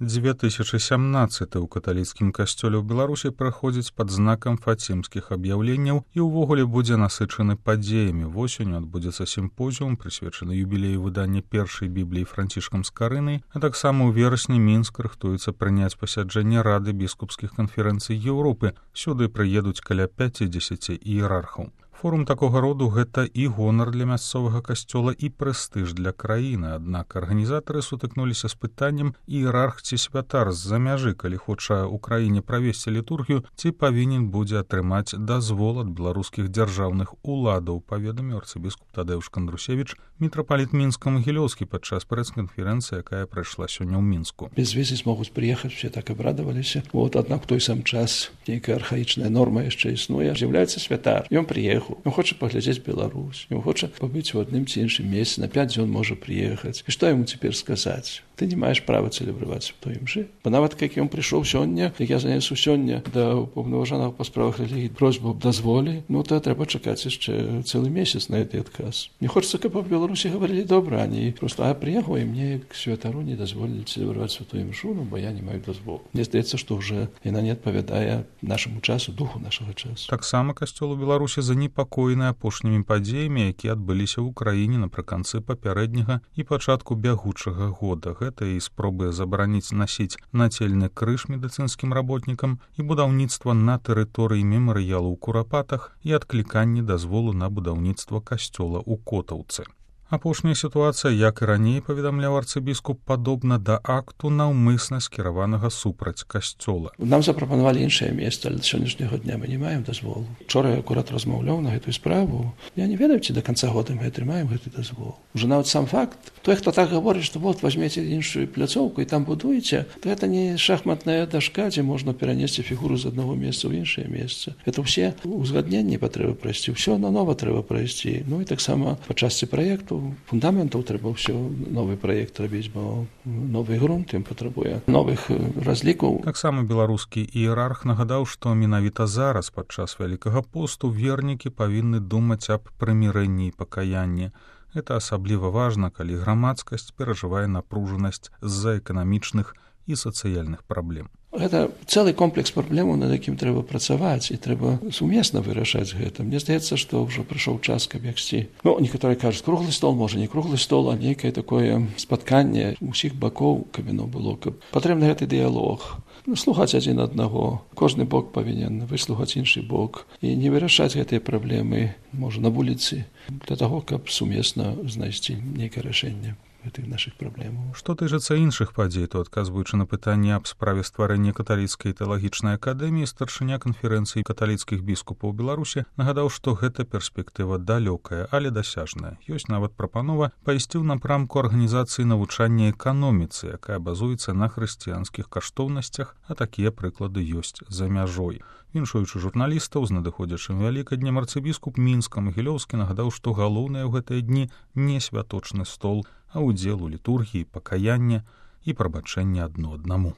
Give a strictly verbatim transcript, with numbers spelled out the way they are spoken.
две тысячи сямнаццаты ў каталіцкім касцёле ў Беларусі праходзіць пад знакам фацімскіх аб'яўленняў і ўвогуле будзе насычаны падзеямі. Восенню адбудзецца сімпозіум, прысвечаны юбілею выдання першай бібліі Францішкам Скарынай, а таксама ў верасні Мінск рыхтуецца прыняць пасяджэнне Рады біскупскіх канферэнцый Еўропы. Сюды прыедуць каля пяцідзесяці іерархаў. Форум такога роду – гэта і гонар для мясцовага касцёла, і прэстыж для краіны. Аднак арганізатары сутыкнуліся з пытаннем, іерарх ці святар з-за мяжы, калі хоча ў краіне правесці літургію, ці павінен будзе атрымаць дазвол ад беларускіх дзяржаўных уладаў, паведаміў арцыбіскуп Тадеуш Кандрусевіч, мітрапаліт Мінска-Магілёўскі падчас прэс-канферэнцыі, якая прайшла сёння ў Мінску. Без візы змогуць прыехаць, все так абрадаваліся. Вот, аднак у той сам час нейкая архаічная норма яшчэ існуе. З'яўляецца святар. Ён прыехаў. Ён хоча паглядзець Беларусь, ён хоча пабыць у адным ці іншым месцы, на пяць дзён можа прыехаць. І што яму цяпер сказаць? Ты не маеш права цэлебраваць у той імжы. Бо нават як ён прыйшоў сёння, як я занясу сёння да паўнаважанага па справах рэлігіі просьбу аб дазволе, ну то трэба чакаць яшчэ цэлы месяц на гэты адказ. Не хочацца, каб па Беларусі гаварылі добра, а не проста а прыехаў і мне як святару не дазволілі цэлебраваць у той імжу, ну бо я не маю дазволу. Мне здаецца, што ўжо яна не адпавядае нашаму часу, духу нашага часу. Таксама касцёл у Беларусі занепакоены апошнімі падзеямі, якія адбыліся ў краіне напрыканцы папярэдняга і пачатку бягучага года. Гэта і спробы забараніць насіць нацельны крыж медыцынскім работнікам, і будаўніцтва на тэрыторыі мемарыялу ў Курапатах, і адкліканне дазволу на будаўніцтва касцёла ў Котаўцы. Апошняя сітуацыя, як і раней паведамляў арцыбіскуп, падобна да акту наўмысна скіраванага супраць касцёла. Нам запрапанавалі іншае месца, але да сённяшняга дня мы не маем дазволу. Учора я акурат размаўляў на гэтую справу. Я не ведаю, ці да канца года мы атрымаем гэты дазвол. Уже нават сам факт, той, хто так гаворыць, што вот возьмеце іншую пляцоўку і там будуеце, то гэта не шахматная дашка, дзе можна перанесці фігуру з аднаго месца ў іншае месца. Это ўсе узгадненні патрэба прайсці, ўсё нанова трэба прайсці. Ну і таксама па частцы праекту фундаментаў трэба ўсё новы праект рабіць, бо новы грунт ім патрабуе новых разлікаў. Таксама беларускі іерарх нагадаў, што менавіта зараз, падчас Вялікага посту, вернікі павінны думаць аб прымірэнні і пакаянні. Гэта асабліва важна, калі грамадскасць перажывае напружанасць з-за эканамічных і сацыяльных праблем. Гэта цэлы комплекс праблемаў, над якім трэба працаваць, і трэба сумесна вырашаць гэта. Мне здаецца, што ўжо прыйшоў час, каб ягсці. Ну, некаторыя кажуць, круглы стол, можа, не круглы стол, а нейкае такое спатканне усіх бакоў, каб яно было, каб патрэбны гэты дыялог. Слухаць адзін аднаго. Кожны бок павінен выслухаць іншы бок і не вырашаць гэтыя праблемы, можа, на вуліцы, для таго, каб сумесна знайсці нейкае рашэнне гэтых нашых праблемаў. Што тычыцца іншых падзей, то адказваючы на пытанне аб справе стварэння каталіцкай тэалагічнай акадэміі, старшыня канферэнцыі каталіцкіх біскупаў Беларусі нагадаў, што гэта перспектыва далёкая, але дасяжная. Ёсць нават прапанова пайсці ў напрамку арганізацыі навучання эканоміцы, якая базуецца на хрысціянскіх каштоўнасцях, а такія прыклады ёсць за мяжой. Віншуючы журналістаў з надыходзячым вялікаднем, арцыбіскуп Мінска-Магілёўскі нагадаў, што галоўнае ў гэтыя дні не святочны стол, а ўдзел у літургіі, пакаяння і прабачэння адно аднаму.